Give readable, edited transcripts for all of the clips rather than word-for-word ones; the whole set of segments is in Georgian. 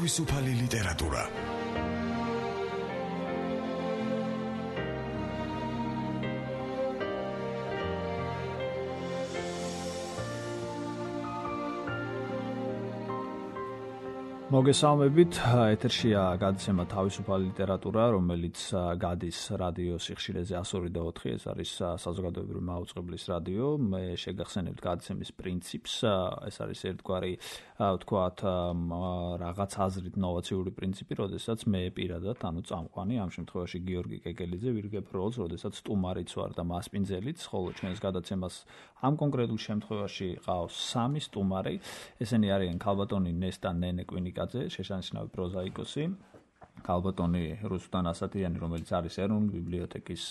თავისუფალი ლიტერატურა. მოგესალმებით, ეთერშია გადაცემა თავისუფალი ლიტერატურა, რომელიც გადის რადიო სიხშირეზე 102.4, ეს არის საზოგადოებრივი მაუწყებლის რადიო. მე შეგახსენებთ გადაცემის პრინციპს, ეს არის ერთგვარი, ვთქვათ, რაღაც აზრით ნოვაციური პრინციპი, როდესაც მე პირადად, წამყვანი, ამ შემთხვევაში გიორგი კეკელიძე ვირგებ როლს, როდესაც სტუმარიც ვარ და მასპინძელიც, ხოლო ჩვენს გადაცემას ამ კონკრეტულ შემთხვევაში ყავს 3 სტუმარი. ესენი არიან ქალბატონი ნესტა ნენეკვინიკაძე, შეშანიშნავი პროზაიკოსი, ქალბატონი რუსუდან ასათიანი, რომელიც არის ეროვნული ბიბლიოთეკის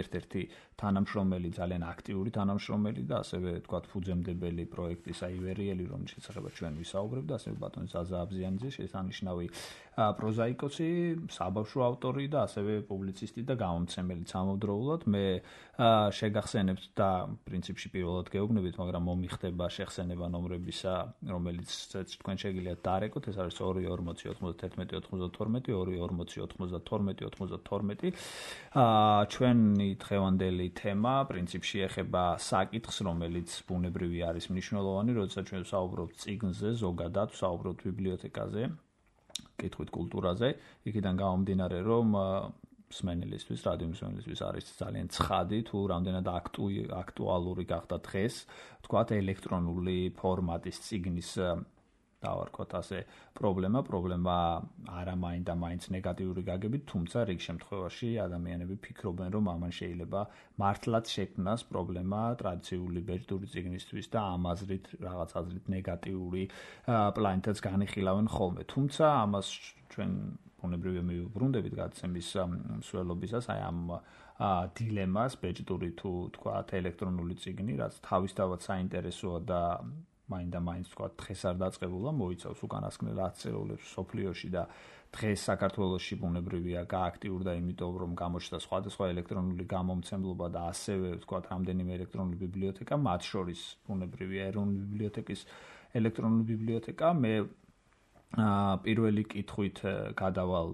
ერთ-ერთი თანამშრომელი, ძალიან აქტიური თანამშრომელი და ასევე ვთქვათ ფუძემდებელი პროექტის აივერიელი, რომლის შესახებაც ჩვენ ვისაუბრებთ, და ასევე ბატონი ზაზა აბზიანიძე, შესანიშნავი პროზაიკოსი, საბავშვო ავტორი და ასევე პუბლიცისტი და გამომცემელი ამავდროულად. მე შეგახსენებთ და პრინციპში პირველად გეუბნებით, მაგრამ მომიხდება შეხსენება ნომრებისა, რომელიც თქვენ შეგიძლიათ დაარეკოთ, ეს არის 2409192, 24092. ჩვენი დღევანდელი თემა პრინციპში ეხება საკითხს, რომელიც ბუნებრივი არის მნიშვნელოვანი, როდესაც ჩვენ ვსაუბრობთ წიგნზე, ზოგადად ვსაუბრობთ ბიბლიოთეკაზე, კითხვით კულტურაზე, იქიდან გამომდინარე, რომ მსმენელისთვის, რადიო მსმენელისთვის არის ძალიან ცხადი, თუ რამდენად აქტუალური გახდა დღეს, ვთქვათ, ელექტრონული ფორმატის წიგნის დავარქვათ ასე პრობლემა არა მაინც ნეგატიური გაგებით, თუმცა რიგ შემთხვევაში ადამიანები ფიქრობენ, რომ ამან შეიძლება მართლაც შექმნას პრობლემა ტრადიციული ბეჭდური წიგნისთვის და ამ აზრით რაღაც აზრით ნეგატიური პლანეტაც განიხილავენ ხოლმე. თუმცა ამას ჩვენ ბუნებრივია მივუბრუნდებით გადაცემის მსვლელობისას, აი ამ დილემას ბეჭდური თუ თქვათ ელექტრონული წიგნი, რაც თავისთავად საინტერესოა და მაინც თქვათ დღეს არ დაწყებულა, მოიცავს უკანასკნელ 10 წელს სოფლიოში და დღეს საქართველოში ბუნებრივია გააქტიურდა, იმიტომ რომ გამოჩნდა სხვადასხვა ელექტრონული გამომცემლობა და ასევე თქვათ რამდენიმე ელექტრონული ბიბლიოთეკა, მათ შორის ბუნებრივია ეროვნული ბიბლიოთეკის ელექტრონული ბიბლიოთეკა. მე პირველი კითხვით გადავალ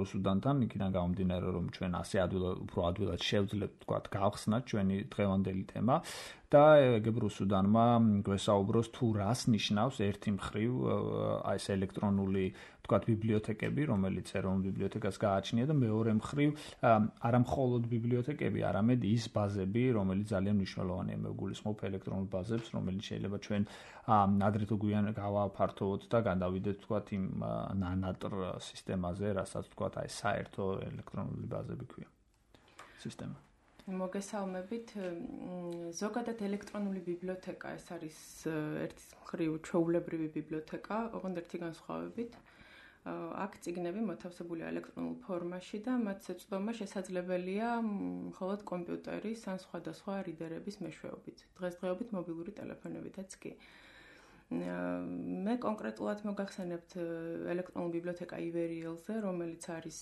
რუსუდანთან, იქიდან გამომდინარე, რომ ჩვენ ასე უფრო ადვილად შევძლებთ თქვათ გავხსნათ ჩვენი დღევანდელი თემა და ეგებ რუსუდანმა გვესაუბროს თუ რას ნიშნავს ერთი მხრივ აი ეს ელექტრონული თქვათ ბიბლიოთეკები, რომელიც ეროვნულ ბიბლიოთეკას გააჩნია და მეორე მხრივ არა მხოლოდ ბიბლიოთეკები, არამედ ის ბაზები, რომელიც ძალიან მნიშვნელოვანია. მე ვგულისხმობ ელექტრონულ ბაზებს, რომელიც შეიძლება ჩვენ ადრე თუ გვიან გავაფართოვოთ და გადავიდეთ თქვათ იმ ნანატრ სისტემაზე, რასაც თქვათ აი საერთო ელექტრონული ბაზები ქვია სისტემა. მოგესალმებით. ზოგადად ელექტრონული ბიბლიოთეკა ეს არის ერთი მხრივ ჩვეულებრივი ბიბლიოთეკა, ოღონდ ერთი განსხვავებით. აქ წიგნები მოთავსებულია ელექტრონულ ფორმაში და მათ შეცდომა შესაძლებელია მხოლოდ კომპიუტერის ან სხვადასხვა რიდერების მეშვეობით, დღესდღეობით მობილური ტელეფონებითაც კი. მე კონკრეტულად მოგახსენებთ ელექტრონული ბიბლიოთეკა ივერიელზე, რომელიც არის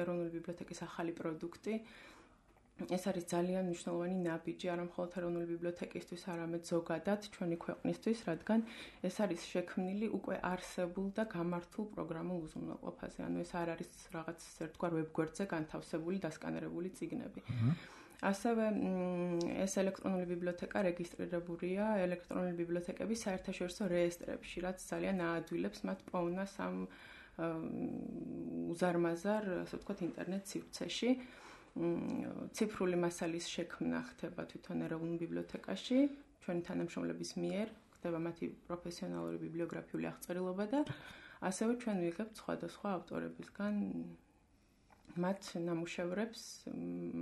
ეროვნული ბიბლიოთეკის ახალი პროდუქტი. ეს არის ძალიან მნიშვნელოვანი ნაბიჯი არა მხოლოდ ეროვნული ბიბლიოთეკისთვის, არამედ ზოგადად ჩვენი ქვეყნისთვის, რადგან ეს არის შექმნილი უკვე არსებულ და გამართულ პროგრამულ უზრუნველყოფაზე. ანუ ეს არ არის რაღაც ერთგვარ ვებგვერდზე განთავსებული დასკანერებული წიგნები. ასევე ეს ელექტრონული ბიბლიოთეკა რეგისტრირებულია ელექტრონული ბიბლიოთეკების საერთაშორისო რეესტრებში, რაც ძალიან აადვილებს მათ პოვნას ამ უზარმაზარ, ასე ვთქვათ, ინტერნეტ სივრცეში. ციფრული მასალის შექმნა ხდება თვითონ ეროვნულ ბიბლიოთეკაში, ჩვენი თანამშრომლების მიერ ხდება მათი პროფესიონალური ბიბლიოგრაფიული აღწერილობა და ასევე ჩვენ ვიღებთ სხვადასხვა ავტორებისგან მათ ნამუშევრებს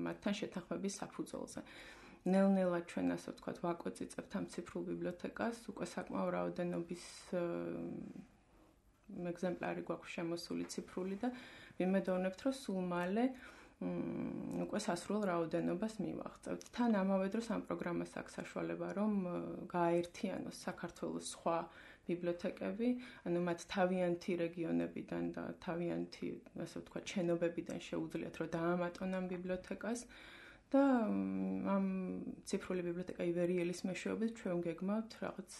მათთან შეთანხმების საფუძველზე. ნელ-ნელა ჩვენ ასე ვთქვათ ვაკოწიწებთ ამ ციფრულ ბიბლიოთეკას, უკვე საკმაო რაოდენობის ეგზემპლარი გვაქვს შემოსული ციფრული და ვიმედოვნებთ, რომ სულ მალე უკვე სასრულ რაოდენობას მივაღწევთ. თან ამავე დროს ამ პროგრამას აქვს საშუალება, რომ გააერთიანოს საქართველოს სხვა ბიბლიოთეკები, ანუ მათ თავიანთი რეგიონებიდან და თავიანთი, ასე ვთქვათ, შენობებიდან შეუძლიათ, რომ დაამატონ ამ ბიბლიოთეკას და ამ ციფრული ბიბლიოთეკა ივერიელის მეშვეობით ჩვენ გეგმავთ რაღაც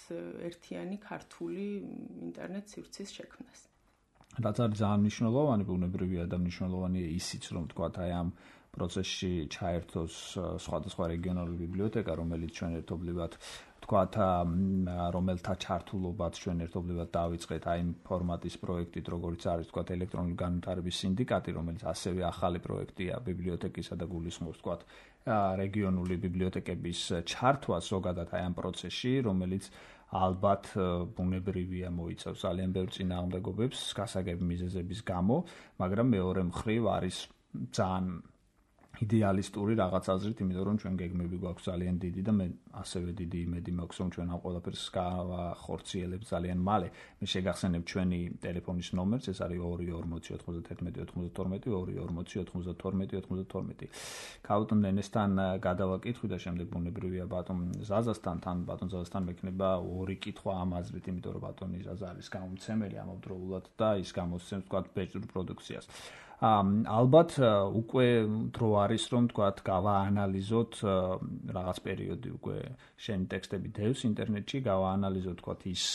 ერთიანი ქართული ინტერნეტ სივრცის შექმნას. რაც არის ძალიან მნიშვნელოვანი, ბუნებრივია და მნიშვნელოვანია ისიც, რომ თქვათ აი ამ პროცესში ჩაერთოს სხვადასხვა რეგიონალური ბიბლიოთეკა, რომელიც ჩვენ ერთობლივად თქვათ რომელთა ჩართულობაც ჩვენ ერთობლივად დავიწყეთ აი იმ ფორმატის პროექტით, როგორც არის თქვათ ელექტრონული განვითარების სინდიკატი, რომელიც ასევე ახალი პროექტია ბიბლიოთეკისა და გულისხმობს თქვათ რეგიონული ბიბლიოთეკების ჩართვას ზოგადად აი ამ პროცესში, რომელიც ალბათ ბუნებრივია მოიცავს ძალიან ბევრ წინააღმდეგობებს გასაგები მიზეზების გამო, მაგრამ მეორე მხრივ არის ძალიან იდეალისტური რაღაც აზრით, იმიტომ რომ ჩვენ გეგმები გვაქვს ძალიან დიდი და მე ასევე დიდი იმედი მაქვს, რომ ჩვენ ამ ყველაფერს გავახორციელებთ ძალიან მალე. მე შეგახსენებ ჩვენი ტელეფონის ნომერს, ეს არის 24091929292. ქაუტონ ნენესთან გადავაკითხვი და შემდეგ ბუნებრივია ბატონ ზაზასთან, ბატონ ზაზასთან მექნება ორი კითხვა ამ აზრით, იმიტომ რომ ბატონი ზაზა არის გამომცემელი ამავდროულად და ის გამოსცემს თქვათ ბეჭდურ პროდუქციას. ალბათ უკვე დრო არის რომ თქვათ გავაანალიზოთ რაღაც პერიოდი უკვე შენი ტექსტები დევს ინტერნეტში გავაანალიზოთ თქვათ ის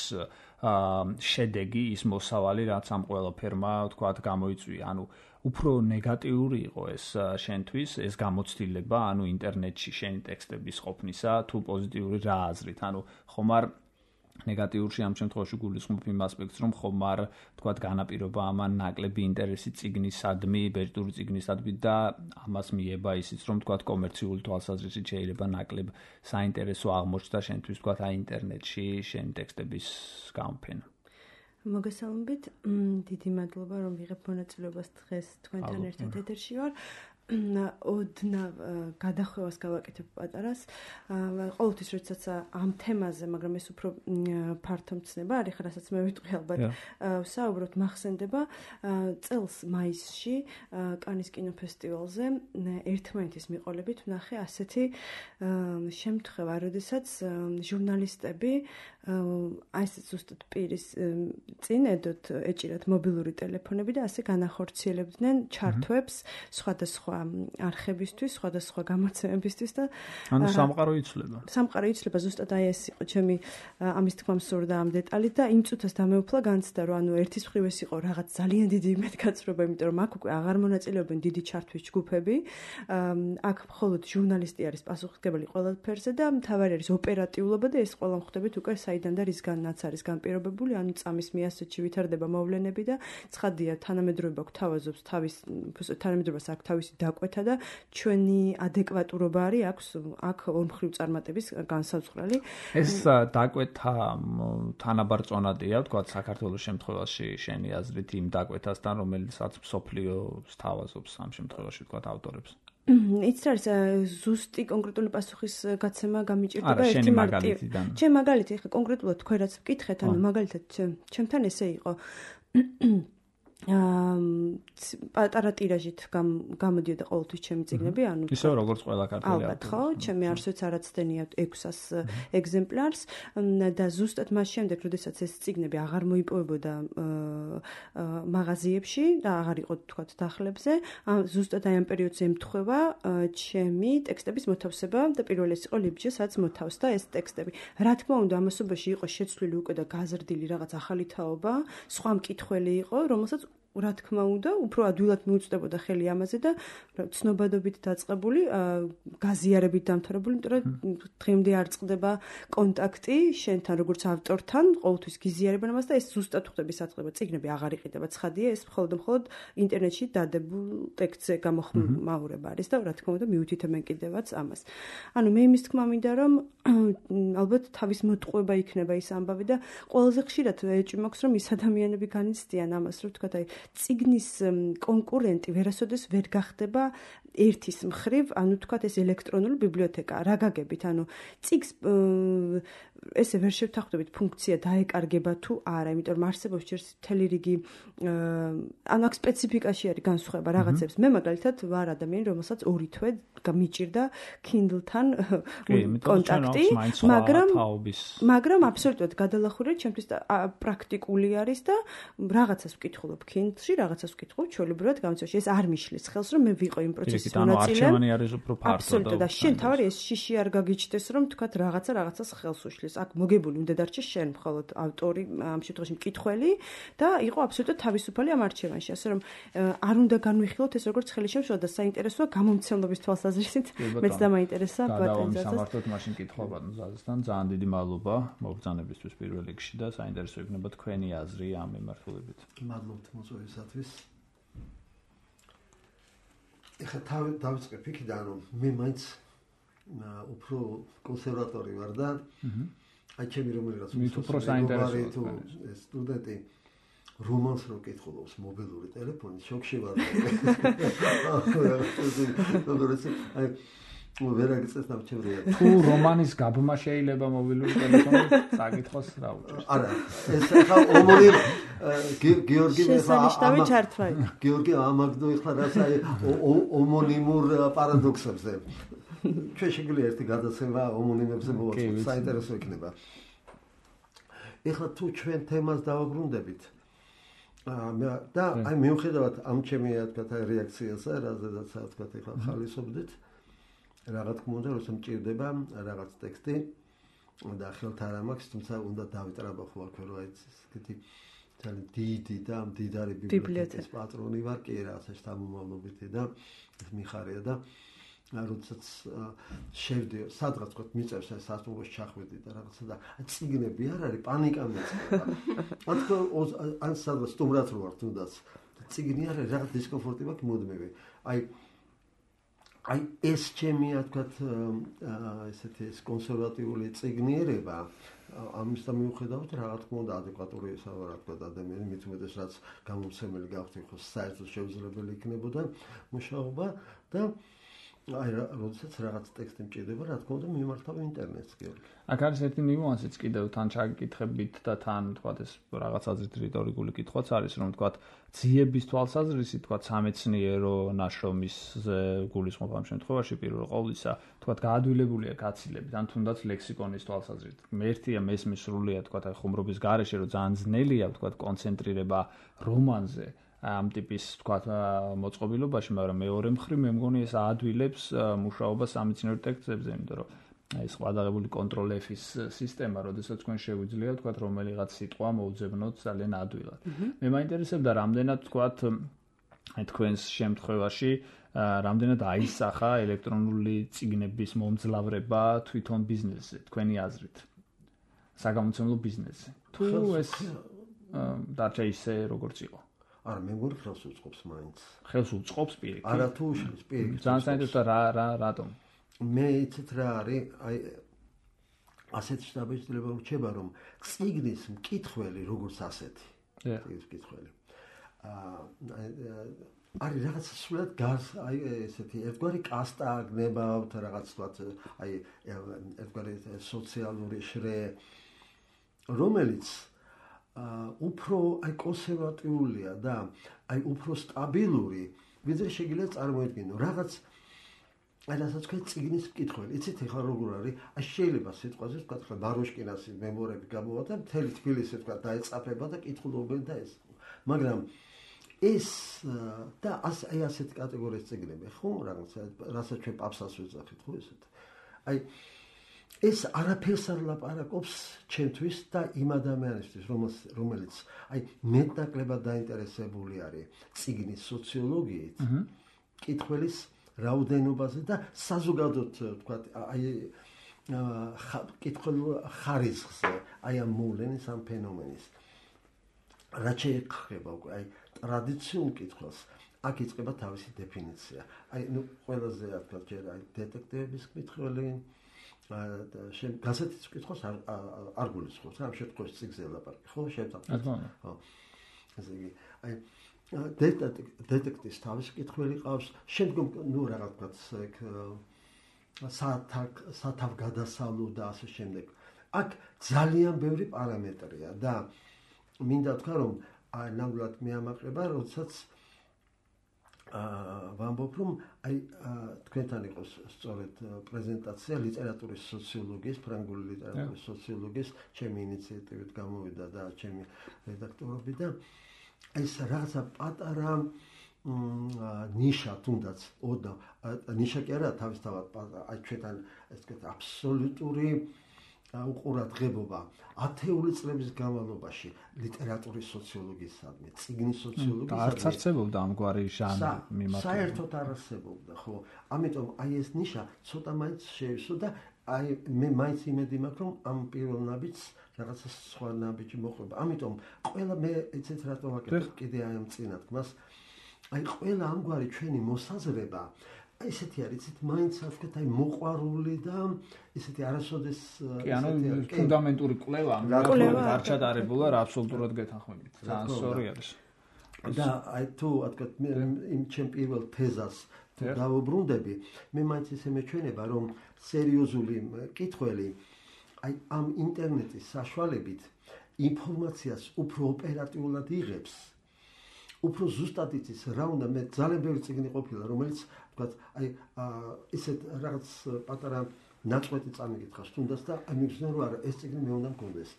შედეგი ის მოსავალი რაც ამ ყველაფერმა თქვათ გამოიწვია ანუ უფრო ნეგატიური იყო ეს შენთვის ეს გამოცდილება ანუ ინტერნეტში შენი ტექსტების ყოფნისა თუ პოზიტიური რა აზრით ანუ ხომ არ ნეგატიურში ამ შემთხვევაში გულისხმობ იმ ასპექტს, რომ ხომ არ თქვათ განაპირობა ამან ნაკლები ინტერესი წიგნისადმი, ბეჭდური წიგნისადმი და ამას მიება ისიც, რომ თქვათ კომერციული თვალსაზრისით შეიძლება ნაკლებ საინტერესო აღმოჩნდა შენთვის თქვათ აი ინტერნეტში შენი ტექსტების გამოფენა. მოგესალმებით, დიდი მადლობა რომ ვიღებ მონაწილეობას დღეს თქვენთან ერთად ეთერში ვარ. ოდნავ გადახვევას გავაკეთებ პატარას. ყოველთვის როდესაც ამ თემაზე, მაგრამ ეს უფრო ფართო მცნება არის, რასაც მე ვიტყვი ალბათ. საუბრობთ მახსენდება წელს მაისში კანის კინოფესტივალზე ერთმანეთის მიყოლებით ვნახე ასეთი შემთხვევა, როდესაც ჟურნალისტები აი ეს ზუსტად პირის წინ ედოთ ეჭირათ მობილური ტელეფონები და ასე განახორციელებდნენ ჩართვებს სხვადასხვა არხებისთვის, სხვადასხვა გამოცემებისთვის და ანუ სამყარო იცვლება. სამყარო იცვლება ზუსტად აი ეს იყო ჩემი ამის თქმა მსურდა ამ დეტალით და იმ წუთას დამეუფლა განცდა რომ ანუ ერთის მხრივ ეს იყო რაღაც ძალიან დიდი იმედგაცრუება, იმიტომ რომ აქ უკვე აღარ მონაწილეობენ დიდი ჩართვის ჯგუფები. აქ მხოლოდ ჟურნალისტი არის პასუხისმგებელი ყველაფერზე და მთავარი არის ოპერატიულობა და ეს ყველა მხდებით უკვე საიდან და რისგანაც არის განპირობებული, ანუ წამის მიასწრებში ვითარდება მოვლენები და ცხადია თანამედროვეობა გვთავაზობს თანამედროვებას აქვს თავისი დაკვეთა და ჩვენი ადეკვატურობა არის აქ ორმხრივ წარმატების განსაზღვრელი. ეს დაკვეთა თანაბარ წონადია, თქვა საქართველოს შემთხვევაში შენი აზრით იმ დაკვეთასთან, რომელსაც მსოფლიოს თავაზობს ამ შემთხვევაში თქვა ავტორებს. იცით არის ზუსტი კონკრეტული პასუხის გაცემა გამიჭირდება ერთი მაგალითიდან. ჩემ მაგალითი ხა კონკრეტულად თქვენ რაც ვკითხეთ, ანუ მაგალითად ჩემთან ესე იყო პატარა ტირაჟით გამოდიოდა ყოველთვის ჩემი წიგნები, ანუ ისე როგორც ყველა ქართველი ალბათ ხო, ჩემი არსოც არაცდენია 600 ეგზემპლარს და ზუსტად მას შემდეგ, როდესაც ეს წიგნები აღარ მოიპოვებოდა მაღაზიებში და აღარ იყო თქვათ დახლებზე, ზუსტად აი ამ პერიოდზე ემთხვევა ჩემი ტექსტების მოთავსება და პირველი ეს იყო ლიბჯე, სადაც მოთავსდა ეს ტექსტები. რა თქმა უნდა, ამასობაში იყო შეცვლილი უკვე და გაზრდილი რაღაც ახალი თაობა, სხვა მკითხველი იყო, რომელსაც რა თქმა უნდა, უფრო ადვილად მიუწვდებოდა ხელი ამაზე და ცნობადობით დაწყებული, გაზიარებით დამთავრებული, იმიტომ რომ დღემდე არ წყდება კონტაქტი შენთან როგორც ავტორთან, ყოველთვის გიზიარებენ ამას და ეს ზუსტად ხდება საწყება. წიგნები აღარ იყიდება, ცხადია, ეს მხოლოდ ინტერნეტში დადებულ ტექსტზე გამოხმაურება არის და რა თქმა უნდა, მიუთითებენ კიდევაც ამას. ანუ მე იმის თქმა მინდა, რომ ალბათ თავის მოტყუება იქნება ის ამბავი და ყველაზე ხშირად ეჭვი მაქვს, რომ ის ადამიანები განიცდიან ამას, რომ თქვა აი წიგნის კონკურენტი ვერასოდეს ვერ გახდება ერთის მხრივ, ანუ თქვათ ეს ელექტრონული ბიბლიოთეკა. რა გაგებით, ანუ წიგს ესე ვერ შევთანხმდებით ფუნქცია დაეკარგება თუ არა, იმიტომ რომ არსებობს ჯერ მთელი რიგი ანუ აქ სპეციფიკაში არის განსხვავება რაღაცებს. მე მაგალითად ვარ ადამიანი, რომელსაც 2 თვე მიჭირდა Kindle-თან კონტაქტი, მაგრამ აბსოლუტურად გადალახურება ჩემთვის პრაქტიკული არის და რაღაცას ვკითხულობ Kindle-ში, რაღაცას ვკითხულობ ჩვეულებრივად გამოცემაში. ეს არ მიშლის ხელს, რომ მე ვიყო იმ პროცესის ანუ არჩევანი არის უფრო ფართო და აბსოლუტურად და შენ თავი ეს შიში არ გაგიჩნდეს რომ თქვათ რაღაცას ხელს უშლის. აქ მოგებული უნდა დარჩეს შენ მხოლოდ ავტორი ამ შემთხვევაში მკითხველი და იყო აბსოლუტურად თავისუფალი ამ არჩევანში. ასე რომ არ უნდა განვიხილოთ ეს როგორც ხელი შემშლა და საინტერესოა გამომცემლობის თვალსაზრისით მეც დამაინტერესა ბატონ ზაზას. სამართლოდ მაშინ კითხვა ბატონ ზაზასთან ძალიან დიდი მადლობა მოგზანებისთვის პირველ რიგში და საინტერესო იქნება თქვენი აზრი ამ მიმართულებით. მადლობთ მოწვევისათვის. ეხლა დავიწყებ იქიდან რომ მე მაინც უფრო კონსერვატორი ვარ და აი ჩემი რომელიღაც უფრო საინტერესოა ეს სტუდენტი რომანს რო კითხულობს მობილური ტელეფონით შოკში ვარ. აი ვერ აგწევს ნამჩევრია. თუ რომანის გაბმა შეიძლება მობილური ტელეფონით საკითხოს რა უჭერს? არა, ეს ახლა ომონიმ გიორგი შესანიშნავი ჩართვაი. გიორგი ამაგდო ეხლა რაც აი ომონიმურ პარადოქსებზე. ჩვენ შეგვიძლია ერთი გადაცემა ომონიმებზე მოვაწყოთ, საინტერესო იქნება. ეხლა თუ ჩვენ თემას დავაბრუნდებით და აი მიუხედავად ამ ჩემი თქვათ რეაქციასა, რაზედაც თქვათ ეხლა ხალისობდით რა თქმა უნდა, როცა მჭირდება რაღაც ტექსტი და ხელთ არ ამაქვს, თუმცა უნდა დავიტრაბახო აქ რომ აი ესეთი ძალიან დიდი და მდიდარი ბიბლიოთეკის პატრონი ვარ, კი რაღაცა შთამომავლობითი და ეს მიხარია და როდესაც შევდიო, სადღაც თქვა მიწევს ეს სასტუმროში ჩახვედი და რაღაცა და წიგნები არ არის, პანიკა მეწყება. ან სადღაც სტუმრად რო ვარ თუნდაც წიგნი არ არის, რაღაც დისკომფორტი მაქვს მუდმივი. აი ეს ჩემია თქვათ ესეთი ეს კონსერვატიული წიგნიერება ამის მიუხედავად რა თქმა უნდა ადეკვატური რა თქვათ ადამიანი მით უმეტეს რაც გამომცემელი გავხდი ხო საერთოდ შეუძლებელი იქნებოდა მუშაობა და აი როდესაც რაღაც ტექსტი მჭირდება რა თქმა უნდა მიმართავ ინტერნეტს გიორგი. აქ არის ერთი ნიუანსიც კიდევ თან ჩაგიკითხებით და თან თქვათ ეს რაღაც აზრით რიტორიკული კითხვაც არის რომ თქვათ ძიების თვალსაზრისით თქვათ სამეცნიერო ნაშრომის გულისხმობ ამ შემთხვევაში პირველ ყოვლისა თქვათ გაადვილებულია გაცილებით ან თუნდაც ლექსიკონის თვალსაზრისით. მერთია მესმის სრულიად თქვათ აი ხუმრობის გარეშე რომ ძალიან ძნელია თქვათ კონცენტრირება რომანზე ამ ტიპის თქვათ მოწყობილობაში, მაგრამ მეორე მხრივ მე მგონი ეს აადვილებს მუშაობას სამეცნიერო ტექსტებზე, იმიტომ რომ ეს ყადაღებული კონტროლ F-ის სისტემა, როდესაც თქვენ შეგვიძლია თქვათ რომელიღაც სიტყვა მოუძებნოთ ძალიან ადვილად. მე მაინტერესებდა რამდენად თქვათ აი თქვენს შემთხვევაში რამდენად აისახა ელექტრონული წიგნების მომძლავრება თვითონ ბიზნესზე, თქვენი აზრით. საგამომცემლო ბიზნესზე. თუ ეს დარჩა ისე როგორც იყო. არა მე მგონი ხელს უწყობს მაინც. ხელს უწყობს პირიქით. არა თუ უშლის პირიქით. ძალიან საინტერესოა რატომ? მე იცით რა არის, აი ასეთი შთაბეჭდილება რჩება რომ წიგნის მკითხველი როგორც ასეთი. წიგნის მკითხველი. არის რაღაც სულად გარს აი ესეთი ერთგვარი კასტა გნებავთ რაღაც თქვათ აი ერთგვარი სოციალური შრე რომელიც უფრო აი კონსერვატიულია და აი უფრო სტაბილური ვიდრე შეიძლება წარმოედგინო რაღაც აი რასაც თქვენ წიგნის მკითხველი იცით ახლა როგორ არის აი შეიძლება სიტყვაზე თქვათ ხა ბაროშკინასი მემორები გამოვა და მთელი თბილისი თქვათ დაეწაფება და კითხულობენ და ეს მაგრამ ეს და აი ასეთი კატეგორიის წიგნები ხო რაღაც რასაც ჩვენ პაპსას ვეძახით ხო ესეთ აი ეს არაფერს არ ლაპარაკობს ჩემთვის და იმ ადამიანისთვის რომელიც აი მეტნაკლებად დაინტერესებული არის წიგნის სოციოლოგიით კითხველის რაოდენობაზე და საზოგადოდ თქვათ აი კითხულ ხარისხზე აი ამ მოვლენის ამ ფენომენის რაც შეეხება უკვე აი ტრადიციულ კითხულს აქ იწყება თავისი დეფინიცია აი ნუ ყველაზე თქვათ ჯერ აი დეტექტივების კითხველი გასათის კითხოს არ გულისხმობს რა ამ შემთხვევაში წიგნზე ლაპარაკი ხო შევწავთ ხო ესე იგი აი დეტექტივის თავისი კითხველი ყავს შემდგომ ნუ რაღაც ეგ სათავგადასავლო და ასე შემდეგ აქ ძალიან ბევრი პარამეტრია და მინდა თქვა რომ აი ნამდვილად მეამაყება როდესაც ვამბობ რომ აი თქვენთან იყოს სწორედ პრეზენტაცია ლიტერატურის სოციოლოგიის, ფრანგული ლიტერატურის სოციოლოგიის ჩემი ინიციატივით გამოვიდა და ჩემი რედაქტორობით და ეს რაღაცა პატარა ნიშა თუნდაც ნიშა კი არა თავისთავად აი ჩვენთან ეს ვთქვათ აბსოლუტური უყურადღებობა ათეული წლების განმავლობაში ლიტერატურის სოციოლოგიისადმი, წიგნის სოციოლოგიისადმი არც არსებობდა ამგვარი ჟანრი მიმართული. საერთოდ არ არსებობდა, ხო. ამიტომ აი ეს ნიშა ცოტა მაინც შეივსო და აი მე მაინც იმედი მაქვს რომ ამ პირველ ნაბიჯს რაღაცა სხვა ნაბიჯი მოყვება. ამიტომ ყველა მე ეცეთ რატო ვაკეთებ კიდე აი ამ წინა თქმას აი ყველა ამგვარი ჩვენი მოსაზრება აი ესეთი არის, იცით, მაინც ვთქვათ, აი მოყვარული და ესეთი არასოდეს კი, ანუ ფუნდამენტური კვლევა არ ჩატარებულა რა აბსოლუტურად გეთანხმებით. ძალიან სწორი არის. და აი თუ ვთქვათ მე იმ ჩემ პირველ თეზას დავუბრუნდები, მე მაინც ისე მეჩვენება, რომ სერიოზული კითხველი აი ამ ინტერნეტის საშუალებით ინფორმაციას უფრო ოპერატიულად იღებს. უფრო ზუსტად იცის რა უნდა მე ძალიან ბევრი წიგნი ყოფილა რომელიც ვთქვათ აი ისეთ რაღაც პატარა ნაწყვეტი წამიკითხავს თუნდაც და აი მიგზნო რომ არა ეს წიგნი მე უნდა მქონდეს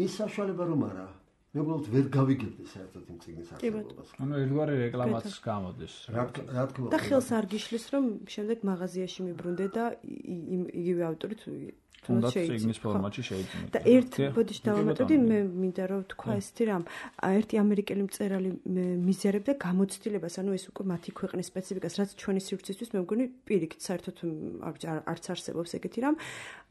ის საშუალება რომ არა მე უბრალოდ ვერ გავიგებდი საერთოდ იმ წიგნის არსებობას ანუ ერთგვარი რეკლამაც გამოდის რა თქმა უნდა და ხელს არ გიშლის რომ შემდეგ მაღაზიაში მიბრუნდე და იგივე ავტორით თუნდაც წიგნის ფორმატში შეიძლება. და ერთ ბოდიში დავამატებდი, მე მინდა რომ თქვა ესეთი რამ, ერთი ამერიკელი მწერალი მიზერებდა გამოცდილებას, ანუ ეს უკვე მათი ქვეყნის სპეციფიკას, რაც ჩვენი სივრცისთვის მე მგონი პირიქით საერთოდ არც არსებობს ეგეთი რამ.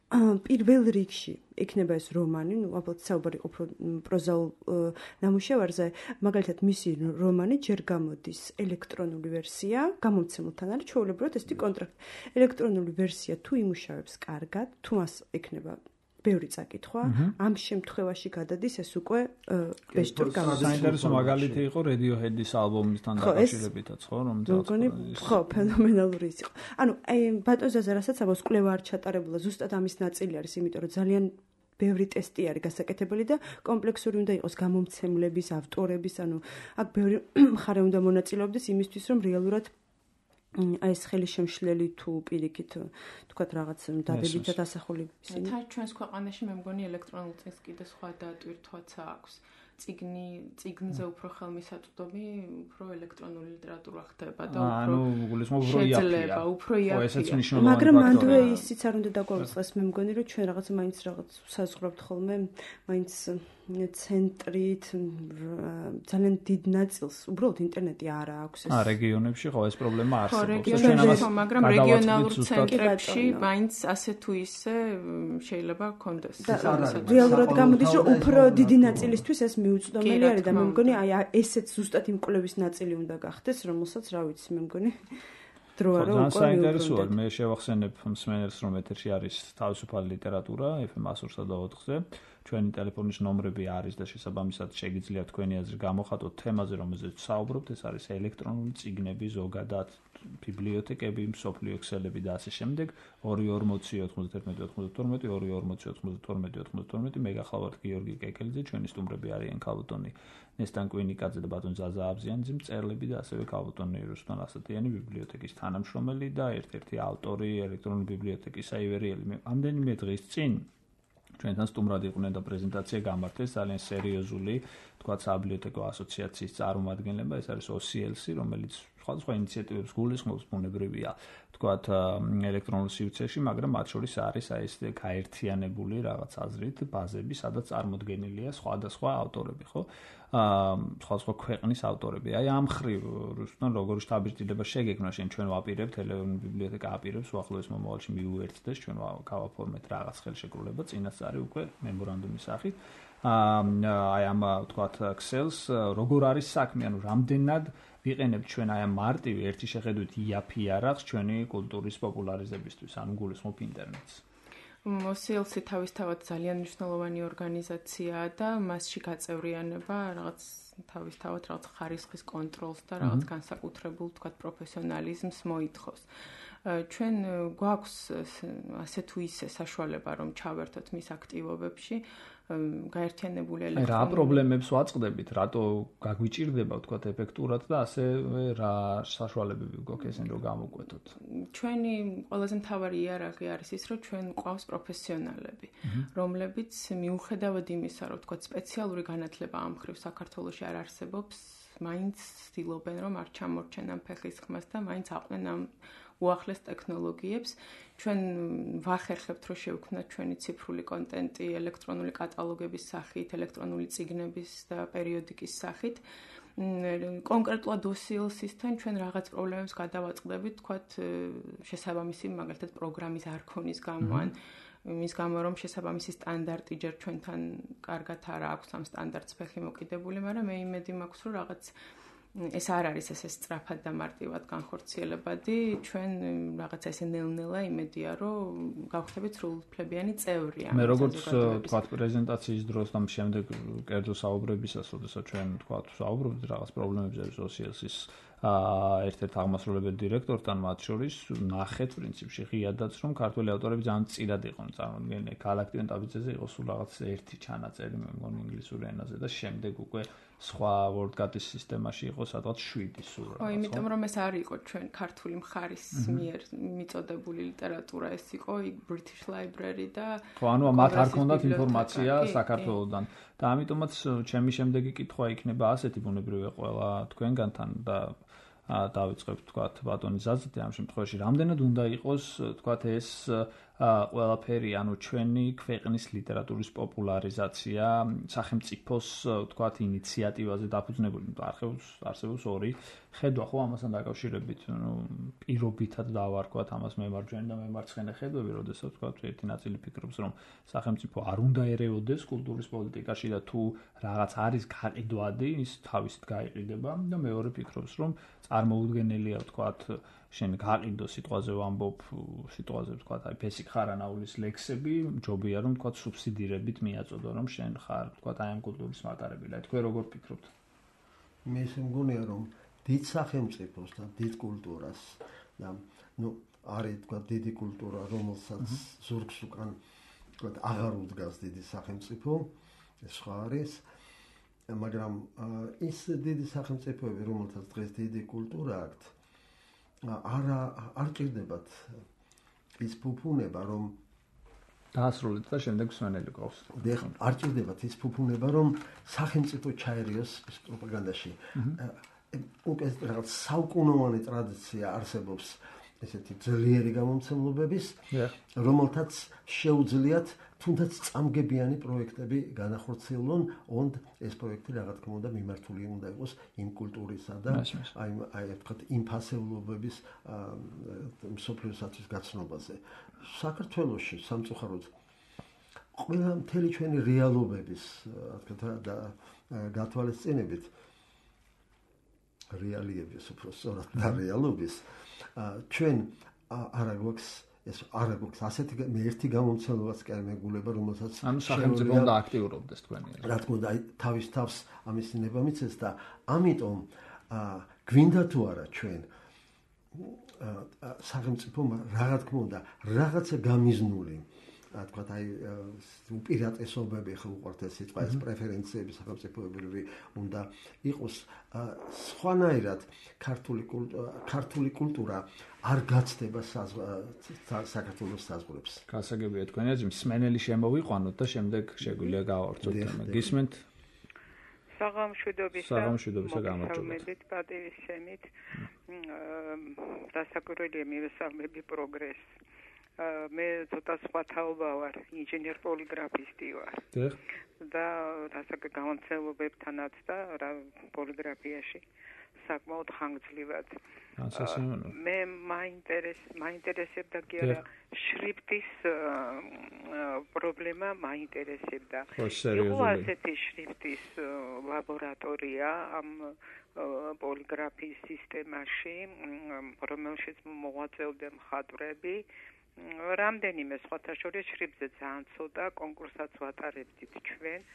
პირველ რიგში იქნება ეს რომანი, ну, ალბათ საუბარი ყოფრო პროზაულ ნამუშევარზე, მაგალითად მისი რომანი ჯერ გამოდის ელექტრონული ვერსია, გამომცემელთან არის ჩვეულებრივად ესეთი კონტრაქტი. ელექტრონული ვერსია თუ იმუშავებს კარგად, თუ მას ექნება ბევრი წაკითხვა, ამ შემთხვევაში გადადის ეს უკვე ბეჭდურ გამოდის. საინტერესო მაგალითი იყო Radiohead-ის ალბომისთან დაკავშირებითაც, ხო, რომელიც ხო, ფენომენალური ის იყო. ანუ აი ბატონზე რასაც ამას კვლევა არ ჩატარებულა, ზუსტად ამის ნაწილი არის, იმიტომ რომ ძალიან ბევრი ტესტი არის გასაკეთებელი და კომპლექსური უნდა იყოს გამომცემლების, ავტორების, ანუ აქ ბევრი მხარე უნდა მონაწილეობდეს იმისთვის, რომ რეალურად აი ეს ხელისშემშლელი თუ პირიქით თქვათ რაღაც დადებითად ასახული ისინი. ჩვენს ქვეყანაში მე მგონი ელექტრონულ წიგნს კიდე სხვა დატვირთვაც აქვს. წიგნზე უფრო ხელმისაწვდომი, უფრო ელექტრონული ლიტერატურა ხდება და უფრო იაფია. მაგრამ მანდვე ისიც არ უნდა დაგვაუწყდეს, მე მგონი რომ ჩვენ რაღაცა მაინც რაღაც საზღვრავთ ხოლმე, მაინც ცენტრით ძალიან დიდ ნაწილს უბრალოდ ინტერნეტი არ აქვს ეს. რეგიონებში ხო ეს პრობლემა არსებობს. მაგრამ რეგიონალურ ცენტრებში მაინც ასე თუ ისე შეიძლება კონდეს. რეალურად გამოდის რომ უფრო დიდი ნაწილისთვის ეს მიუწვდომელი არის და მე მგონი აი ესეც ზუსტად იმ კვლევის ნაწილი უნდა გახდეს, რომელსაც რა ვიცი, მე მგონი დრო არა უკვე საინტერესოა მე შევახსენებ მსმენელს რომ ეთერში არის თავისუფალი ლიტერატურა FM 104-ზე ჩვენი ტელეფონის ნომრები არის და შესაბამისად შეგიძლიათ თქვენი აზრი გამოხატოთ თემაზე რომელზეც საუბრობთ ეს არის ელექტრონული წიგნები ზოგადად ბიბლიოთეკები მსოფლიო ქსელები და ასე შემდეგ 2409192 მე გახლავართ გიორგი კეკელიძე ჩვენი სტუმრები არიან ქალბატონი ნესტან კვინიკაძე და ბატონ ზაზა აბზიანძე მწერლები და ასევე ქალბატონი რუსტან ასათიანი ბიბლიოთეკის თანამშრომელი და ერთ-ერთი ავტორი ელექტრონული ბიბლიოთეკის საივერიელი ამდენიმე დღის წინ ჩვენთან სტუმრად იყვნენ და პრეზენტაცია გამართეს ძალიან სერიოზული თქვათ საბიბლიოთეკო ასოციაციის წარმომადგენლება ეს არის OCLC რომელიც სხვადასხვა ინიციატივებს გულისხმობს ბუნებრივია თქვათ ელექტრონულ სივრცეში მაგრამ მათ შორის არის აი ეს გაერთიანებული რაღაც აზრით ბაზები სადაც წარმოდგენილია სხვადასხვა ავტორები ხო სხვადასხვა ქვეყნის ავტორები აი ამ ხრივ რუსთან როგორი შთაბეჭდილება შეგექმნა შენ ჩვენ ვაპირებთ ელექტრონული ბიბლიოთეკა აპირებს უახლოეს მომავალში მიუერთდეს ჩვენ გავაფორმეთ რაღაც ხელშეკრულება წინასწარი უკვე მემორანდუმის სახით აი ამ თქვათ ქსელს როგორ არის საქმე ანუ რამდენად ვიყენებთ ჩვენ აი ამ მარტივი ერთი შეხედვით იაფი არახს ჩვენი კულტურის პოპულარიზებისთვის ანუ გულისხმობ ინტერნეტს OCLC თავისთავად ძალიან მნიშვნელოვანი ორგანიზაციაა და მასში გაწევრიანება რაღაც თავისთავად რაღაც ხარისხის კონტროლს და რაღაც განსაკუთრებულ თქვათ პროფესიონალიზმს მოითხოვს. ჩვენ გვაქვს ასე თუ ისე საშუალება რომ ჩავერთოთ მის აქტივობებში გაერთიანებული ელექტრონული რა პრობლემებს ვაწყდებით, რატო გაგვიჭირდება თქვათ ეფექტურად და ასე რა საშუალებები გვაქვს ესენ რომ გამოვკვეთოთ. ჩვენი ყველაზე მთავარი იარაღი არის ის, რომ ჩვენ გვყავს პროფესიონალები, რომლებიც მიუხედავად იმისა, რომ თქვათ სპეციალური განათლება ამ ხრივ საქართველოში არ არსებობს, მაინც ცდილობენ რომ არ ჩამორჩენ ამ ფეხის ხმას და მაინც აყვნენ ამ უახლეს ტექნოლოგიებს. ჩვენ ვახერხებთ რომ შევქმნათ ჩვენი ციფრული კონტენტი ელექტრონული კატალოგების სახით, ელექტრონული წიგნების და პერიოდიკის სახით. კონკრეტულად OCLC-თან ჩვენ რაღაც პრობლემებს გადავაწყდებით, თქვათ შესაბამისი მაგალითად პროგრამის არ ქონის გამო ან მის გამო რომ შესაბამისი სტანდარტი ჯერ ჩვენთან კარგად არ აქვს ამ სტანდარტს ფეხი მოკიდებული, მაგრამ მე იმედი მაქვს რომ რაღაც ეს არ არის ესე სწრაფად და მარტივად განხორციელებადი, ჩვენ რაღაცა ესე ნელ-ნელა იმედია რომ გავხდებით სრულუფლებიანი წევრი ამ მე როგორც თქვა პრეზენტაციის დროს და შემდეგ კერძო საუბრებისას, როდესაც ჩვენ თქვა საუბრობთ რაღაც პრობლემებზე OCLC-ის ერთ-ერთ აღმასრულებელ დირექტორთან მათ შორის ნახეთ პრინციპში ღიადაც რომ ქართველი ავტორები ძალიან მწირად იყვნენ წარმოდგენილი. გალაქტიონ ტაბიძეზე იყო სულ რაღაც ერთი ჩანაწერი მე მგონი ინგლისურ ენაზე და შემდეგ უკვე სხვა WordCat-ის სისტემაში იყო სადღაც 7 სულ რაღაც. იმიტომ რომ ეს არ იყო ჩვენ ქართული მხარის მიერ მიწოდებული ლიტერატურა, ეს იყო British Library და ხო, ანუ მათ არ ქონდათ ინფორმაცია საქართველოსდან და ამიტომაც ჩემი შემდეგი კითხვა იქნება ასეთი ბუნებრივია ყველა თქვენგანთან და დავიწყებთ თქვათ ბატონი ზაზეთი ამ შემთხვევაში რამდენად უნდა იყოს თქვათ ეს ყველაფერი ანუ ჩვენი ქვეყნის ლიტერატურის პოპულარიზაცია სახელმწიფოს თქვათ ინიციატივაზე დაფუძნებული არსებობს ორი ხედვა ხო ამასთან დაკავშირებით პირობითად დავარქვათ ამას მემარჯვენე და მემარცხენე ხედვები როდესაც თქვათ ერთი ნაწილი ფიქრობს რომ სახელმწიფო არ უნდა ერეოდეს კულტურის პოლიტიკაში და თუ რაღაც არის გაყიდვადი ის თავისით გაიყიდება და მეორე ფიქრობს რომ წარმოუდგენელია თქვათ შენ გაყიდო სიტყვაზე ვამბობ სიტყვაზე თქვათ აი ფესიქ ხარანაულის ლექსები ჯობია რომ თქვათ სუბსიდირებით მიაწოდო რომ შენ ხარ თქვათ აი ამ კულტურის მატარებელი აი თქვენ როგორ ფიქრობთ მე შემგონია რომ დიდ სახელმწიფოს და დიდ კულტურას და ნუ არის თქვათ დიდი კულტურა რომელსაც ზურგს უკან თქვათ აღარ უდგას დიდი სახელმწიფო ეს სხვა არის მაგრამ ის დიდი სახელმწიფოები რომელთაც დღეს დიდი კულტურა აქვთ არ ჭირდებათ ის ფუფუნება რომ დაასრულეთ და შემდეგ სვენელი ყავს. არ ჭირდებათ ის ფუფუნება რომ სახელმწიფო ჩაერიოს პროპაგანდაში. უკვე რაღაც საუკუნოვანი ტრადიცია არსებობს ესეთი ძლიერი გამომცემლობების, რომელთაც შეუძლიათ თუნდაც წამგებიანი პროექტები განახორციელონ, ond ეს პროექტი რა თქმა უნდა მიმართული უნდა იყოს იმ კულტურისა და აი ვთქვათ იმ ფასეულობების მსოფლიოსათვის გაცნობაზე. საქართველოში სამწუხაროდ ყველა მთელი ჩვენი რეალობების რა თქმა უნდა გათვალისწინებით რეალიების უფრო სწორად და რეალობის ჩვენ არ გვაქვს ეს არ გვაქვს ასეთი მე ერთი გამომცემლობაც კი არ მეგულება რომელსაც ანუ სახელმწიფო უნდა აქტიურობდეს თქვენი რა თქმა უნდა თავის თავს ამის ნება მიცეს და ამიტომ გვინდა თუ არა ჩვენ სახელმწიფო რა თქმა უნდა რაღაცა გამიზნული რა თქვა აი უპირატესობები ხო უყვართ ეს სიტყვა ეს პრეფერენციები სახელმწიფოებრივი უნდა იყოს სხვანაირად ქართული კულტურა არ გაცდება საქართველოს საზღვრებს. გასაგებია თქვენი აზრი მსმენელი შემოვიყვანოთ და შემდეგ შეგვიძლია გავავრცოთ თემა. გისმენთ? საღამოშვიდობისა გამარჯობებით პატივისცემით დასაკვირველია მივესალმები პროგრესს მე ცოტა სხვა თაობა ვარ ინჟინერ პოლიგრაფისტი ვარ და დასაკვირველ გამომცემლებებთანაც და რა პოლიგრაფიაში საკმაოდ ხანგრძლივად მე მაინტერესებდა კი არა შრიფტის პრობლემა მაინტერესებდა იყო ასეთი შრიფტის ლაბორატორია ამ პოლიგრაფიის სისტემაში რომელშიც მოღვაწეობდნენ მხატვრები რამდენიმე სხვათა შორის შრიფტზე ძალიან ცოტა კონკურსაც ვატარებდით ჩვენ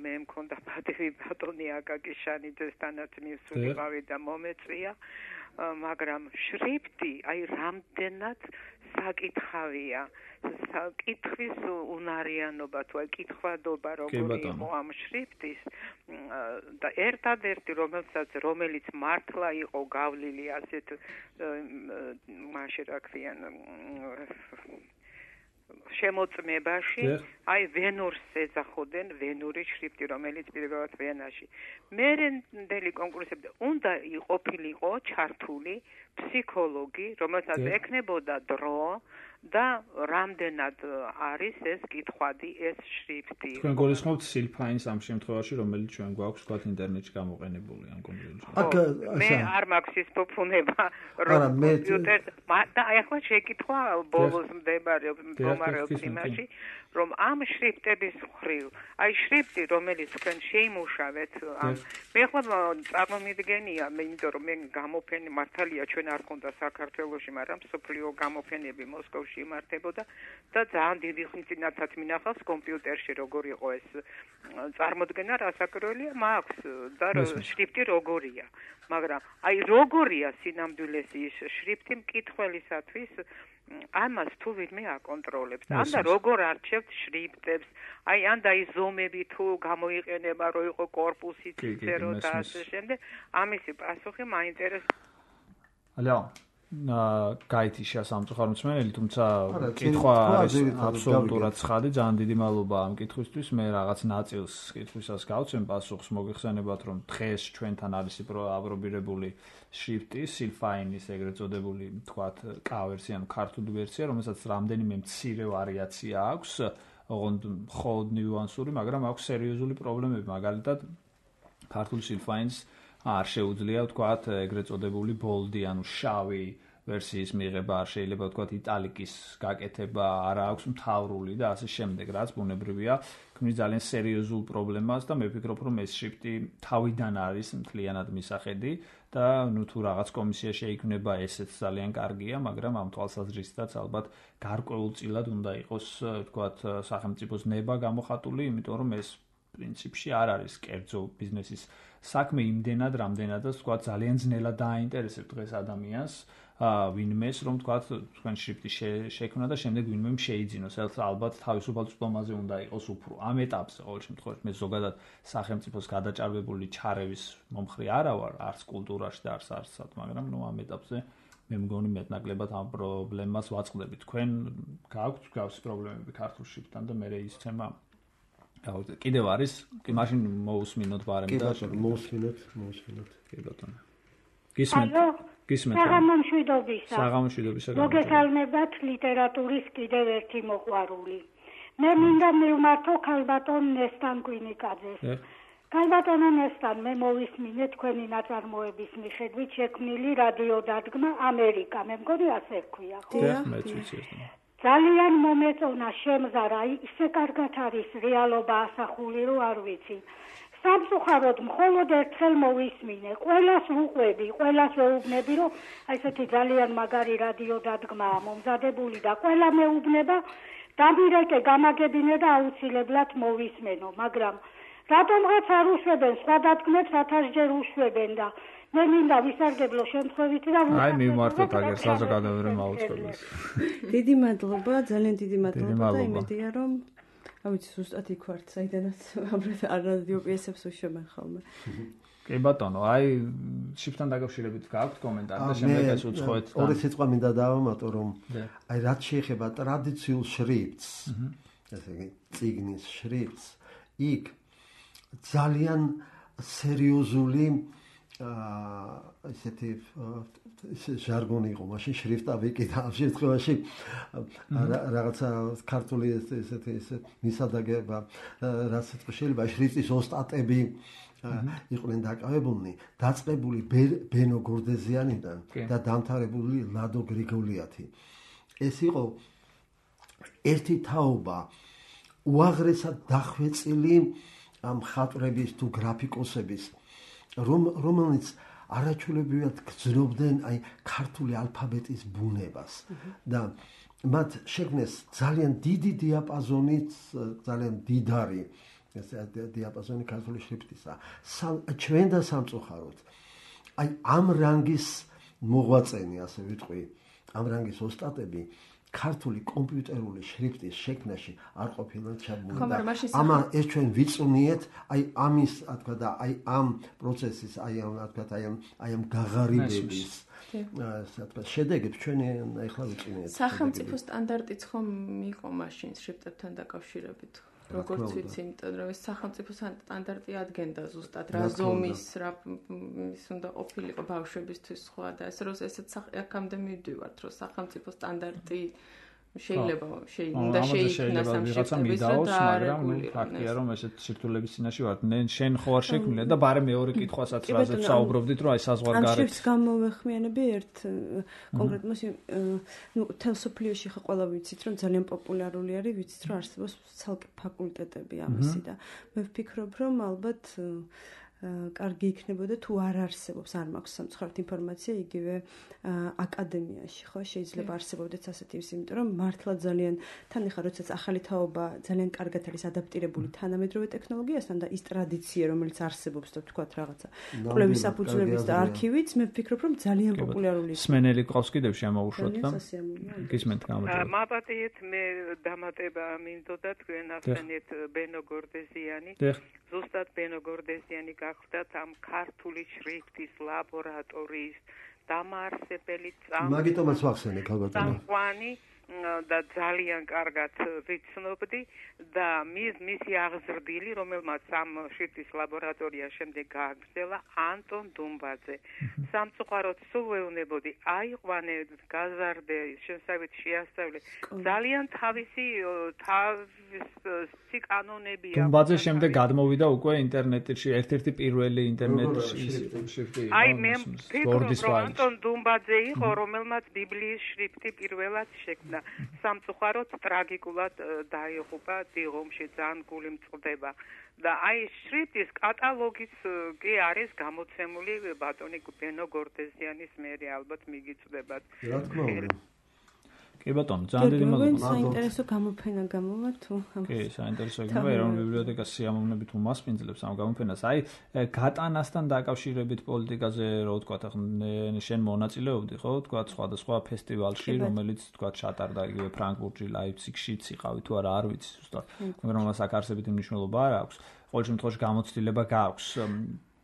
მე მქონდა პატივი ბატონი აკაკიშანიძესთანაც მივსულიყავი და მომეწვია მაგრამ შრიფტი აი რამდენად საკითხავია საკითხვის უნარიანობა თუ აი კითხვადობა როგორი იყო ამ შრიფტის და ერთადერთი რომელიც მართლა იყო გავლილი ასეთ მაშინ რა ქვიან შემოწმებაში აი ვენურს ეძახოდნენ ვენური შრიფტი რომელიც პირველად ვენაში მერენდელი კონკურსებზე უნდა იყოფილიყო ჩართული ფსიქოლოგი რომელსაც ექნებოდა დრო და რამდენად არის ეს კითხვადი ეს შრიფტი თქვენ გულისხმობთ სილფაინს ამ შემთხვევაში რომელიც ჩვენ გვაქვს თქვათ ინტერნეტში გამოყენებული ამ კომპიუტერში მე არ მაქვს ის ფუფუნება რომ კომპიუტერ და აი ახლა შეკითხვა ბოლოს მდებარეობს იმაში რომ ამ შრიფტების მხრივ აი შრიფტი რომელიც თქვენ შეიმუშავეთ მე ახლა წარმომიდგენია მე იმიტომ რომ მე გამოფენი მართალია ჩვენ არ ქონდა საქართველოში მაგრამ სოფლიო გამოფენები მოსკოვში იმართებოდა და ძალიან დიდი ხნის წინათაც მინახავს კომპიუტერში როგორ იყო ეს წარმოდგენა რასაკროელია მაქვს და შრიფტი როგორია მაგრამ აი როგორია სინამდვილეში ის შრიფტი მკითხველისათვის ამას თუ ვინმე აკონტროლებს ან და როგორ არჩევთ შრიფტებს აი ან და ის ზომები თუ გამოიყენება რომ იყო корпуსი ციწერო და ასე შემდეგ ამისი პასუხი მაინტერესებს ალო გაითი შესამწუხარ მსმენელი თუმცა კითხვა არის აბსოლუტურად ცხადი ძალიან დიდი მადლობა ამ კითხვისთვის მე რაღაც ნაწილს კითხვისას გავცემ პასუხს მოგიხსენებათ რომ დღეს ჩვენთან არის აპრობირებული შრიფტი სილფაინის ეგრეთ წოდებული თქვათ კავერსი ანუ ქართული ვერსია რომელსაც რამდენიმე მცირე ვარიაცია აქვს ოღონდ მხოლოდ ნიუანსური მაგრამ აქვს სერიოზული პრობლემები მაგალითად ქართულ სილფაინს არ შეუძლია ვთქვათ ეგრეთ წოდებული ბოლდი ანუ შავი ვერსიის მიღება არ შეიძლება ვთქვათ იტალიკის გაკეთება არ აქვს მთავრული და ასე შემდეგ რაც ბუნებრივია ქმნის ძალიან სერიოზულ პრობლემას და მე ვფიქრობ რომ ეს შრიფტი თავიდან არის მთლიანად მისახედი და ნუ თუ რაღაც კომისია შეიქმნება ესეც ძალიან კარგია მაგრამ ამ თვალსაზრისითაც ალბათ გარკვეულწილად უნდა იყოს ვთქვათ სახელმწიფოს ნება გამოხატული იმიტომ რომ ეს პრინციპში არ არის კერძო ბიზნესის საქმე იმდენად რამდენადაც ვთქვათ ძალიან ძნელად დააინტერესებს დღეს ადამიანს ვინმეს რომ ვთქვათ თქვენ შრიფტი შექმნა და შემდეგ ვინმემ შეიძინოს ეს ალბათ თავისუფალ წვდომაზე უნდა იყოს უფრო ამ ეტაპზე ყოველ შემთხვევაში მე ზოგადად სახელმწიფოს გადაჭარბებული ჩარევის მომხრე არა ვარ არც კულტურაში და არც არცად მაგრამ ნუ ამ ეტაპზე მე მგონი მეტნაკლებად ამ პრობლემას ვაწყდებით თქვენ გაქვთ გავს პრობლემები ქართულ შრიფტთან და მე ისცემა კიდევ არის კი მაშინ მოусმინოთ ბარემ და მოусმინოთ კი ბატონო გისმენთ საღამოშვიდობისა მოგესალმებათ ლიტერატურის კიდევ ერთი მოყვარული მე მინდა მივმართო ქალბატონ ნესტან კვინიკაძეს ქალბატონო ნესტან მე მოვისმინე თქვენი ნაწარმოების მიხედვით შექმნილი რადიო დადგმა ამერიკა მე მგონი ასე ჰქვია ხო ძალიან მომეწონა შემზარა ისე კარგად არის რეალობა ასახული რომ არ ვიცი სამწუხაროდ მხოლოდ ერთხელ მოვისმინე ყველას ვუყვები ყველას ვეუბნები რომ აი ესეთი ძალიან მაგარი რადიო დადგმაა მომზადებული და ყველა მეუბნება დამირეკე გამაგებინე და აუცილებლად მოვისმენო მაგრამ რატომღაც არ უშვებენ სხვა დადგმებს 1000 ჯერ უშვებენ და მე მინდა ვისარგებლო შემთხვევით და აი მივმართოთ აგერ საზოგადოებრივ მაუწყებელს დიდი მადლობა ძალიან დიდი მადლობა და იმედია რომ ავიცი ზუსტად იქ ვართ საიდანაც ამ რადიო პიესებს უშვებენ ხოლმე კი ბატონო აი შიფტთან დაკავშირებით გაქვთ კომენტარი და შემდეგ ეს უცხოეთ ორი სიტყვა მინდა დავამატო რომ აი რაც შეეხება ტრადიციულ შრიფტს ესე იგი წიგნის შრიფტს იქ ძალიან სერიოზული ესეთი ჟარგონი იყო მაშინ შრიფტავი კი და ამ შემთხვევაში რაღაცა ქართული ესეთი მისადაგება რაც შეიძლება შრიფტის ოსტატები იყვნენ დაკავებულნი დაწყებული ბენო გორდეზიანიდან და დამთავრებული ლადო გრიგოლიათი ეს იყო ერთი თაობა უაღრესად დახვეწილი ამ ხატრების თუ გრაფიკოსების რომელიც არაჩვეულებრივად გრძნობდნენ აი ქართული ალფაბეტის ბუნებას და მათ შექმნეს ძალიან დიდი დიაპაზონით ძალიან დიდარი ეს დიაპაზონი ქართული შრიფტისა ჩვენ და სამწუხაროდ აი ამ რანგის მოღვაწენი ასე ვიტყვი ამ რანგის ოსტატები ქართული კომპიუტერული შრიფტის შექმნაში არ ყოფილა ჩაბმული. ამა ეს ჩვენ ვიწუნიეთ, აი ამის, თქვა და აი ამ პროცესის, აი ამ გაღარიბების შედეგებს ჩვენ ახლა ვიწუნიეთ. სახელმწიფო სტანდარტიც ხომ იყო მაშინ შრიფტებთან დაკავშირებით? როგორც ვიცი, იმიტომ რომ ეს სახელმწიფო სტანდარტი ადგენდა ზუსტად რა ზომის, რა ის უნდა ყოფილიყო ბავშვებისთვის სხვა და ესეც აქამდე მივდივართ, რომ სახელმწიფო სტანდარტი შეიძლება შეიქმნას ამ შრიფტების, მაგრამ ფაქტია რომ ესეთ სირთულეების წინაშე ვართ. შენ ხო არ შექმნილ და ბარე მეორე კითხვასაც რაზეც საუბრობდით, რომ აი საზღვარგარეთ. ამ შრიფტს გამოვეხმიანები ერთ კონკრეტულად თელსოფლიოში ხა ყველა ვიცით, რომ ძალიან პოპულარული არის, ვიცით, რომ არსებობს ცალკე ფაკულტეტები ამისი და მე ვფიქრობ, რომ ალბათ კარგი იქნებოდა თუ არ არსებობს, არ მაქვს სამწუხაროდ ინფორმაცია იგივე აკადემიაში, ხო, შეიძლება არსებობდეს ასეთი ის, იმიტომ რომ მართლა ძალიან თან ახლა როდესაც ახალი თაობა ძალიან კარგად არის ადაპტირებული თანამედროვე ტექნოლოგიასთან და ის ტრადიცია, რომელიც არსებობს და თქვათ რაღაცა კვლევის საფუძვლების და არქივიც, მე ვფიქრობ, რომ ძალიან პოპულარული იქნება. სმენელი ყავს კიდევ შემოუშვოთ და გისმენთ გამარჯობა. მაპატიეთ მე დამატება მინდოდა თქვენ ახსენეთ ბენო გორდეზიანი. ზუსტად ბენო გორდეზიანი გახდათ ამ ქართული შრიფტის ლაბორატორიის დამაარსებელი მაგიტომაც ვახსენე წამყვანი და ძალიან კარგად ვიცნობდი და მისი აღზრდილი, რომელმაც ამ შრიფტის ლაბორატორია შემდეგ გააგრძელა, ანტონ დუმბაძე. სამწუხაროდ სულ ვეუბნებოდი, აიყვანე, გაზარდე, შესავით შეასწავლე. ძალიან თავისი კანონებია. დუმბაძე შემდეგ გადმოვიდა უკვე ინტერნეტში, ერთ-ერთი პირველი ინტერნეტში შრიფტი. აი მე ვფიქრობ, რომ ანტონ დუმბაძე იყო, რომელმაც ბიბლიის შრიფტი პირველად შექმნა. სამწუხაროდ ტრაგიკულად დაიღუპა დიღომში, ძალიან გული მწყდება და აი შრიფტის კატალოგიც კი არის გამოცემული ბატონი ბენო გორდეზიანის მერე, ალბათ მიგიწვდებათ. რა თქმა უნდა. კი ბატონო, ძალიან დიდი მადლობა. საინტერესო გამოფენა გამოვა თუ? კი, საინტერესო იქნება ეროვნული ბიბლიოთეკას სიამოვნებით უმასპინძლებს ამ გამოფენას. აი, გატანასთან დაკავშირებით პოლიტიკაზე, რო ვთქვათ, შენ მონაწილეობდი, ხო, ვთქვათ, სხვადასხვა ფესტივალში, რომელიც ვთქვათ, ჩატარდა იგივე ფრანკფურტში, ლაიფციგშიც იყავი თუ არა, არ ვიცი ზუსტად. მაგრამ მას აქ არსებითი მნიშვნელობა არ აქვს. ყოველ შემთხვევაში გამოცდილება გააქვს.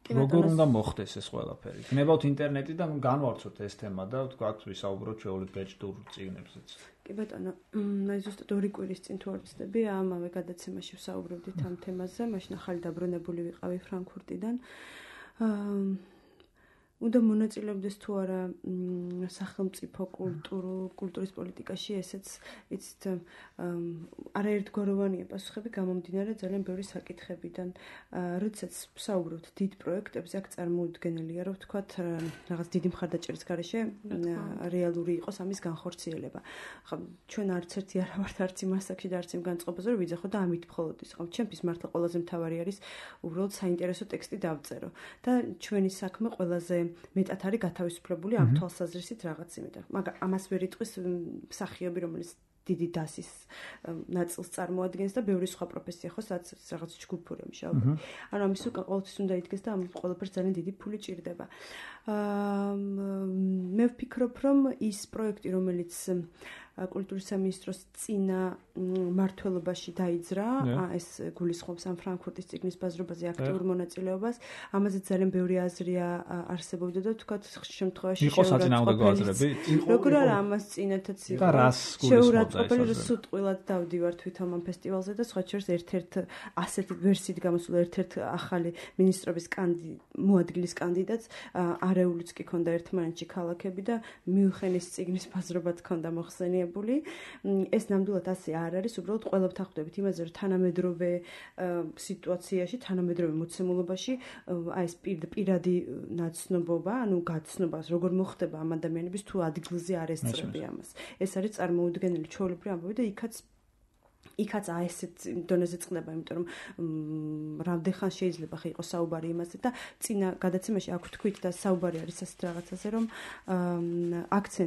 როგორ უნდა მოხდეს ეს ყველაფერი? გნებავთ ინტერნეტიდან განვარცხოთ ეს თემა და ვთქვათ, ვისაუბროთ ჩვეულებრივ ბეჭდურ წიგნებზეც. კი ბატონო, აი ზუსტად 2 კვირის წინ თუ არ ვცდები, ამავე გადაცემაში ვსაუბრობდით ამ თემაზე, მაშინ ახალი დაბრუნებული ვიყავი ფრანკფურტიდან. უნდა მონაწილეობდეს თუ არა სახელმწიფო კულტურის პოლიტიკაში, ესეც იცით არაერთგვაროვანია პასუხები გამომდინარე ძალიან ბევრი საკითხებიდან. როდესაც ვსაუბრობთ დიდ პროექტებზე, აქ წარმოუდგენელია, რომ ვთქვათ, რაღაც დიდი მხარდაჭერის გარეშე რეალური იყოს ამის განხორციელება. ხა ჩვენ არც ერთი არ ვართ არც იმ ასაკში და არც იმ განწყობაზე, რომ ვიძახო და ამით მხოლოდ ის. ხა ჩემთვის მართლა ყველაზე მთავარი არის უბრალოდ საინტერესო ტექსტი დავწერო და ჩვენი საქმე ყველაზე მეტად არის გათავისუფლებული ამ თვალსაზრისით რაღაც იმედად. მაგრამ ამას ვერ იტყვის მსახიობი, რომელიც დიდი დასის ნაწილს წარმოადგენს და ბევრი სხვა პროფესია ხო, სადაც რაღაც ჯგუფური მუშაობა. ანუ ამის უკვე ყოველთვის უნდა იდგეს და ამ ყველაფერს ძალიან დიდი ფული ჭირდება. მე ვფიქრობ, რომ ის პროექტი, რომელიც კულტურის სამინისტროს წინა მმართველობაში დაიძრა, ეს გულისხმობს ამ ფრანკფურტის წიგნის ბაზრობაზე აქტიურ მონაწილეობას. ამაზე ძალიან ბევრი აზრია არსებობდა და თქვათ შემთხვევაში იყო საწინააღმდეგო აზრები. როგორ არა ამას წინათაც იყო. შეურაცხყოფელი რომ სუტყვილად დავდივარ თვითონ ამ ფესტივალზე და სხვა შორის ერთ-ერთ ასეთი ვერსიით გამოსულა ერთ-ერთ ახალი მინისტრობის მოადგილის კანდიდატს არეულიც კი ქონდა ერთმანეთში ქალაქები და მიუხენის წიგნის ბაზრობად ქონდა მოხსენი. ეს ნამდვილად ასე არ არის, უბრალოდ ყველა ვთანხმდებით იმაზე, რომ თანამედროვე სიტუაციაში, თანამედროვე მოცემულობაში აი ეს პირადი ნაცნობობა, ანუ გაცნობას, როგორ მოხდება ამ ადამიანების თუ ადგილზე არ ესწრები ამას. ეს არის წარმოუდგენელი ჩვეულებრივი ამბავი და იქაც ასეთ დონეზე წყდება, იმიტომ რომ რამდენხან შეიძლება ხე იყოს საუბარი იმაზე და წინა გადაცემაში აქ ვთქვით და საუბარი არის ასეთ რაღაცაზე, რომ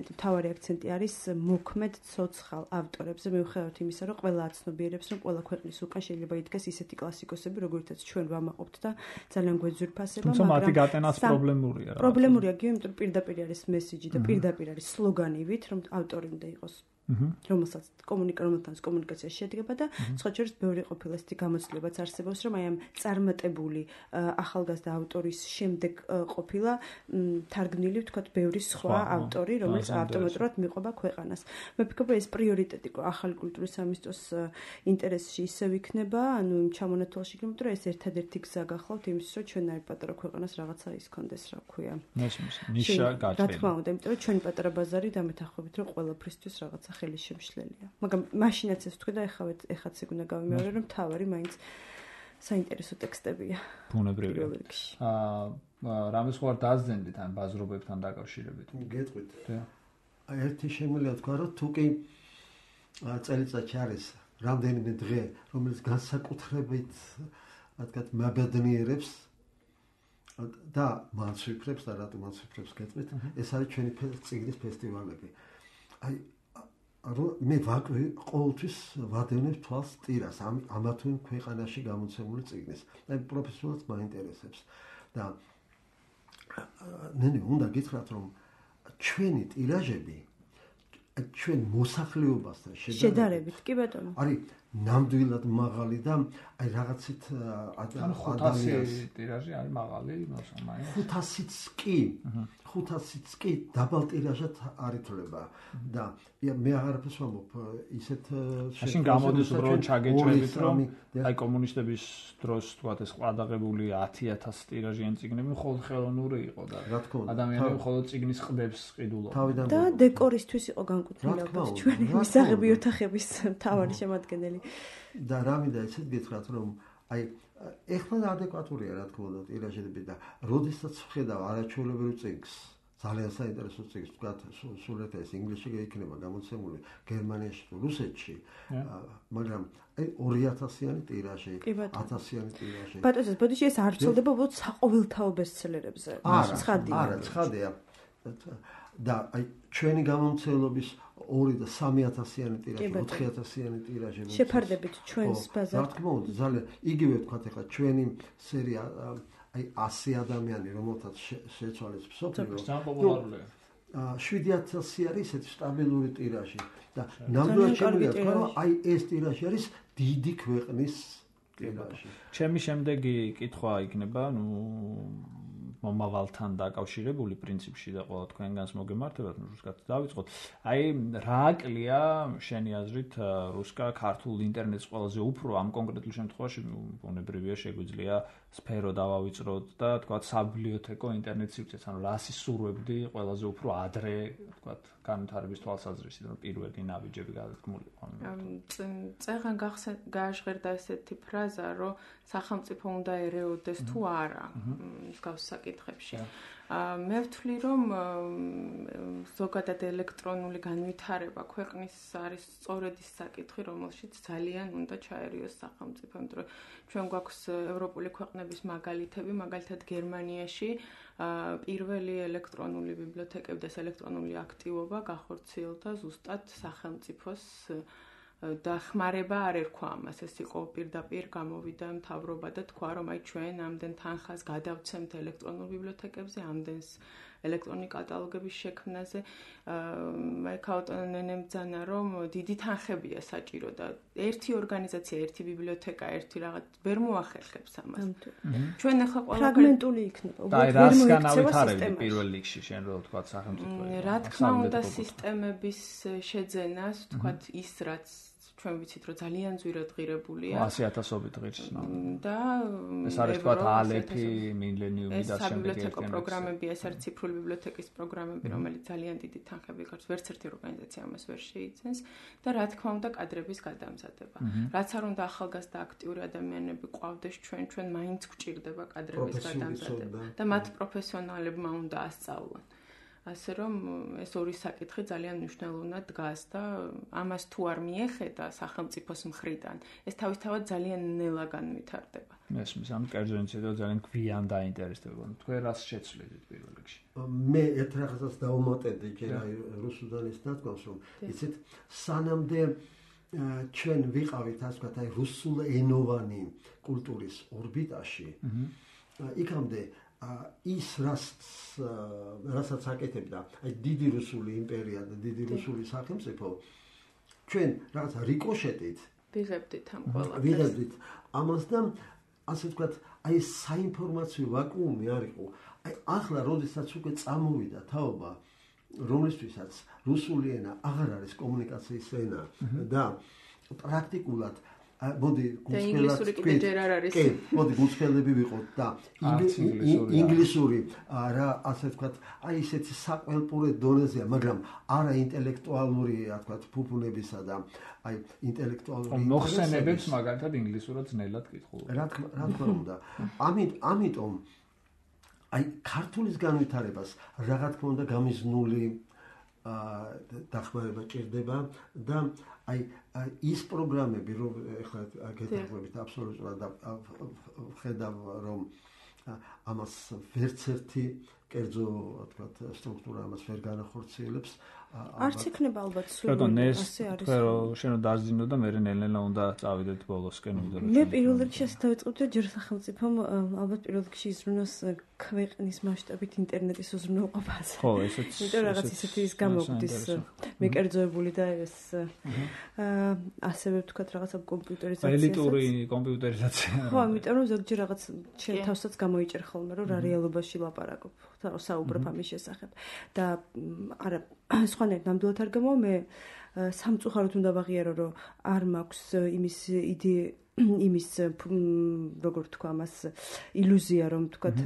მთავარი აქცენტი არის მოქმედ ცოცხალ ავტორებზე, მიუხედავად იმისა, რომ ყველა აცნობიერებს, რომ ყველა ქვეყნის უკან შეიძლება იდგეს ისეთი კლასიკოსები, როგორიცაც ჩვენ ვამაყობთ და ძალიან გვეძვირფასება, მაგრამ მათი გატენაც პრობლემურია. პრობლემურია, იმიტომ რომ პირდაპირ არის მესიჯი და პირდაპირ არის სლოგანივით, რომ ავტორი უნდა იყოს რომელსაც კომუნიკაცია შედგება და სხვა შორის ბევრი ყოფილა ესეთი გამოცდილებაც არსებობს, რომ აი ამ წარმატებული ახალგაზრდა ავტორის შემდეგ ყოფილა თარგმნილი ვთქვათ ბევრი სხვა ავტორი, რომელიც ავტომატურად მიყვება ქვეყანას. მე ვფიქრობ, ეს პრიორიტეტი ახალი კულტურის სამინისტროს ინტერესში ისევ იქნება, ანუ იმ ჩამონათვალში იქნება, რომ ეს ერთადერთი გზა გახლავთ იმის, რომ ჩვენ აი პატარა ქვეყანას რაღაცა ის კონდეს, რა ქვია. ნიშა გაჭრილი. რა თქმა უნდა, იმიტომ რომ ჩვენი პატარა ბაზარი დამეთანხმებით, რომ ყველაფრისთვის რაღაცა ხელი შემშლელია. მაგრამ მაშინაც ეს თქვი და ეხაც ეგ უნდა გავიმეორე, რომ თავარი მაინც საინტერესო ტექსტებია. ბუნებრივია. რამეს ხوار დაზდენდით ან ბაზრობებთან დაკავშირებით? გეტყვით. აი ერთი შემიძლია თქვა, რომ თუ კი წელიწადში არის რამდენიმე დღე, რომელიც განსაკუთრებით რადგან მაბედნიერებს და მაცვიფრებს და რატომ მაცვიფრებს გეტყვით, ეს არის ჩვენი წიგნის ფესტივალები. აი მე ყოველთვის ვადევნებ თვალს ტირას ამა თუ იმ ქვეყანაში გამოცემული წიგნის. აი პროფესიულად მაინტერესებს და ნენი უნდა გითხრათ, რომ ჩვენი ტირაჟები ჩვენ მოსახლეობასთან შედარებით, კი ბატონო. არის ნამდვილად მაღალი და აი რაღაცით ადამიანის ტირაჟი არის მაღალი, მოსამაინც. 500-იც კი დაბალ ტირაჟად არ ითვლება და მე აღარაფერს ვამბობ ისეთ მაშინ გამოდის უბრალოდ ჩაგეჭრებით, რომ აი კომუნისტების დროს თქვათ ეს ყადაღებული 10,000 ტირაჟიანი წიგნები მხოლოდ ხელოვნური იყო და ადამიანები მხოლოდ წიგნის ყდებს ყიდულობდნენ და დეკორისთვის იყო განკუთვნილი ალბათ ჩვენი მისაღები ოთახების მთავარი შემადგენელი. და რა მინდა ისეთ გითხრათ, რომ აი ეხლა ადეკვატურია რა თქმა უნდა ტირაჟები და როდესაც ვხედავ არაჩვეულებრივ წიგნს, ძალიან საინტერესო წიგნს, ვთქვათ, სულ ეს ინგლისში იქნება გამოცემული, გერმანიაში თუ რუსეთში, მაგრამ აი 2000-იანი ტირაჟი, 1000-იანი ტირაჟი. ბატონო, ბოდიში ეს არ ვრცელდება უბრალოდ საყოველთაო ბესტსელერებზე. არა, ცხადია. და აი ჩვენი გამომცემლობის 2 და 3000-იანი ტირაჟი, 4000-იანი ტირაჟი შეფარდებით ჩვენს ბაზარს. რა თქმა უნდა, ძალიან იგივე ვთქვათ ახლა ჩვენი სერია აი 100 ადამიანი, რომელთაც შეცვალეს მსოფლიო. 7000 არის ესეთი სტაბილური ტირაჟი და ნამდვილად შემიძლია თქვა, რომ აი ეს ტირაჟი არის დიდი ქვეყნის ტირაჟი. ჩემი შემდეგი კითხვა იქნება, მომავალთან დაკავშირებული პრინციპში და ყველა თქვენგანს მოგემართებათ, რუსკაც დავიწყოთ. აი რა აკლია შენი აზრით რუსკა ქართულ ინტერნეტს ყველაზე უფრო ამ კონკრეტულ შემთხვევაში ბუნებრივია შეგვიძლია სფერო დავავიწროთ და თქვა საბიბლიოთეკო ინტერნეტ სივრცეც, ანუ რა სისურვებდი ყველაზე უფრო ადრე თქვა განვითარების თვალსაზრისით, რომ პირველი ნაბიჯები გადადგმული იყო. წეღან გააჟღერდა ესეთი ფრაზა, რომ სახელმწიფო უნდა ერეოდეს თუ არა მსგავს საკითხებში. მე ვთვლი, რომ ზოგადად ელექტრონული განვითარება ქვეყნის არის სწორედ ის საკითხი, რომელშიც ძალიან უნდა ჩაერიოს სახელმწიფო, იმიტომ რომ ჩვენ გვაქვს ევროპული ქვეყნების მაგალითები, მაგალითად გერმანიაში პირველი ელექტრონული ბიბლიოთეკები და ელექტრონული აქტივობა გახორციელდა ზუსტად სახელმწიფოს დახმარება არ ერქვა ამას, ეს იყო პირდაპირ გამოვიდა მთავრობა და თქვა, რომ აი ჩვენ ამდენ თანხას გადავცემთ ელექტრონულ ბიბლიოთეკებზე, ამდენს ელექტრონული კატალოგების შექმნაზე. აი ქაუტონ ნენემ ბძანა, რომ დიდი თანხებია საჭირო და ერთი ორგანიზაცია, ერთი ბიბლიოთეკა, ერთი რაღაც ვერ მოახერხებს ამას. ჩვენ ახლა ყველა ფრაგმენტული იქნება. აი რას განავითარებდი პირველ რიგში შენ რო თქვა სახელმწიფო. რა თქმა უნდა სისტემების შეძენას, თქვა ის რაც ჩვენ ვიცით, რომ ძალიან ძვირად ღირებულია. 100,000-ობით ღირს. და ეს არის თქვა ალეფი, მილენიუმი და საბიბლიოთეკო პროგრამები, ეს არის ციფრული ბიბლიოთეკის პროგრამები, რომელიც ძალიან დიდი თანხები გაქვს, ვერც ერთი ორგანიზაცია ამას ვერ შეიცენს და რა თქმა უნდა კადრების გადამზადება. რაც არ უნდა ახალგაზრდა აქტიური ადამიანები ყვავდეს ჩვენ მაინც გვჭირდება კადრების გადამზადება და მათ პროფესიონალებმა უნდა ასწავლონ. ასე რომ ეს ორი საკითხი ძალიან მნიშვნელოვნად დგას და ამას თუ არ მიეხედა სახელმწიფოს მხრიდან, ეს თავისთავად ძალიან ნელა განვითარდება. მესმის, ამ კერძო ინიციატივა ძალიან გვიან დაინტერესდება. თქვენ რას შეცვლით პირველ რიგში? მე ერთ რაღაცას დავუმატებდი ჯერ აი რუსუდან ის ნათქვამს, რომ იცით სანამდე ჩვენ ვიყავით ასე ვთქვათ აი რუსულენოვანი კულტურის ორბიტაში, იქამდე ის რასაც აკეთებდა აი დიდი რუსული იმპერია და დიდი რუსული სახელმწიფო ჩვენ რაღაცა რიკოშეტით ვიღებდით ამ ყველაფერს. ვიღებდით ამას და ასე ვთქვათ, აი საინფორმაციო ვაკუუმი არ იყო. აი ახლა როდესაც უკვე წამოვიდა თაობა, რომლისთვისაც რუსული ენა აღარ არის კომუნიკაციის ენა და პრაქტიკულად მოდი ინგლისური კიდე ჯერ არ არის. კი, მოდი გულწრფელები ვიყოთ და ინგლისური რა ასე ვთქვათ, აი ესეთი საკველპურე დონეზეა, მაგრამ არა ინტელექტუალური, რა ვთქვათ, ფუფუნებისა და აი ინტელექტუალური მოხსენებებს მაგალითად ინგლისურად ძნელად კითხულობ. რა თქმა უნდა. ამიტომ აი ქართულის განვითარებას რა თქმა უნდა გამიზნული დახმარება ჭირდება და აი ის პროგრამები რომ ეხლა გეთახმებით აბსოლუტურად ხედავ რომ ამას ვერც ერთი კერძო თქვათ სტრუქტურა ამას ვერ განახორციელებს არც იქნება ალბათ სულ ასე არის რომ შენ დაძინო და მე ნელ-ნელა უნდა წავიდეთ ბოლოსკენ უნდა მე პირველ რიგში ასე დავიწყებდი ჯერ სახელმწიფომ ალბათ პირველ რიგში იზრუნოს ქვეყნის მასშტაბით ინტერნეტის უზრუნველყოფაზე ხო ესეც იმიტომ რაღაც ისეთი ის გამოგვდის მეკერძოებული და ეს ასევე ვთქვათ რაღაცა კომპიუტერიზაცია ელიტური კომპიუტერიზაცია ხო იმიტომ რომ ზოგჯერ რაღაც შენ თავსაც გამოიჭერ ხოლმე რომ რა რეალობაში ლაპარაკობ საუბრობ ამის შესახებ და არა სხვანაირად ნამდვილად არ გამოვა მე სამწუხაროდ უნდა ვაღიარო რომ არ მაქვს იმის როგორ თქვა მას ილუზია რომ თქვათ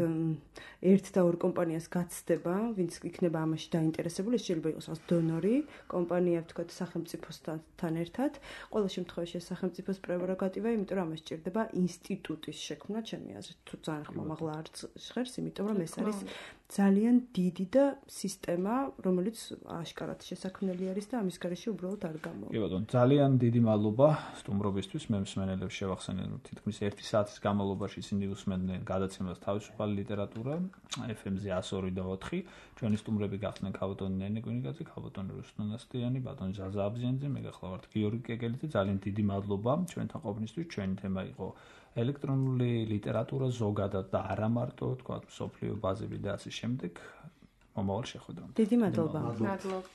ერთ და ორ კომპანიას გაცდება ვინც იქნება ამაში დაინტერესებული ეს შეიძლება იყოს რაღაც დონორი კომპანია თქვათ სახელმწიფოსთან ერთად ყოველ შემთხვევაში სახელმწიფოს პრეროგატივა იმიტომ რომ ამას ჭირდება ინსტიტუტის შექმნა ჩემი აზრით თუ ძალიან ხმამაღლა არ ჟღერს იმიტომ რომ ეს არის ძალიან დიდი და სისტემა რომელიც აშკარად შესაქმნელი არის და ამის გარეშე უბრალოდ არ გამოვა. კი ბატონო, ძალიან დიდი მადლობა სტუმრობისთვის. მე მსმენელებს შევახსენე რომ თითქმის 1 საათის განმავლობაში ისინი უსმენდნენ გადაცემას თავისუფალი ლიტერატურა FM-ზე 102 და 4. ჩვენი სტუმრები გახდნენ ქავატონი ნენე კვინიკაძე, ქავატონი რუსტან ასტიანი, ბატონი ზაზა აბზიანძე, მე გახლავართ გიორგი კეკელიძე. ძალიან დიდი მადლობა ჩვენთან ყოფნისთვის. ჩვენი თემა იყო ელექტრონული ლიტერატურა ზოგადად და არა მარტო, თქვა, სოფლიო ბაზები და ასე შემდეგ. მომავალ შეხვედრამდე. დიდი მადლობა. მადლობთ.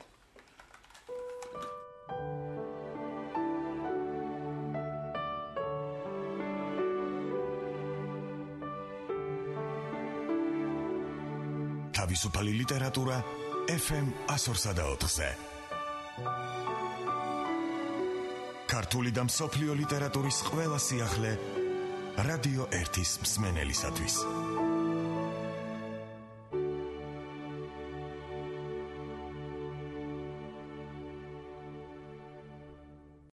თავისუფალი ლიტერატურა FM 104-ზე. ქართული და მსოფლიო ლიტერატურის ყველა სიახლე რადიო 1-ის მსმენელისათვის.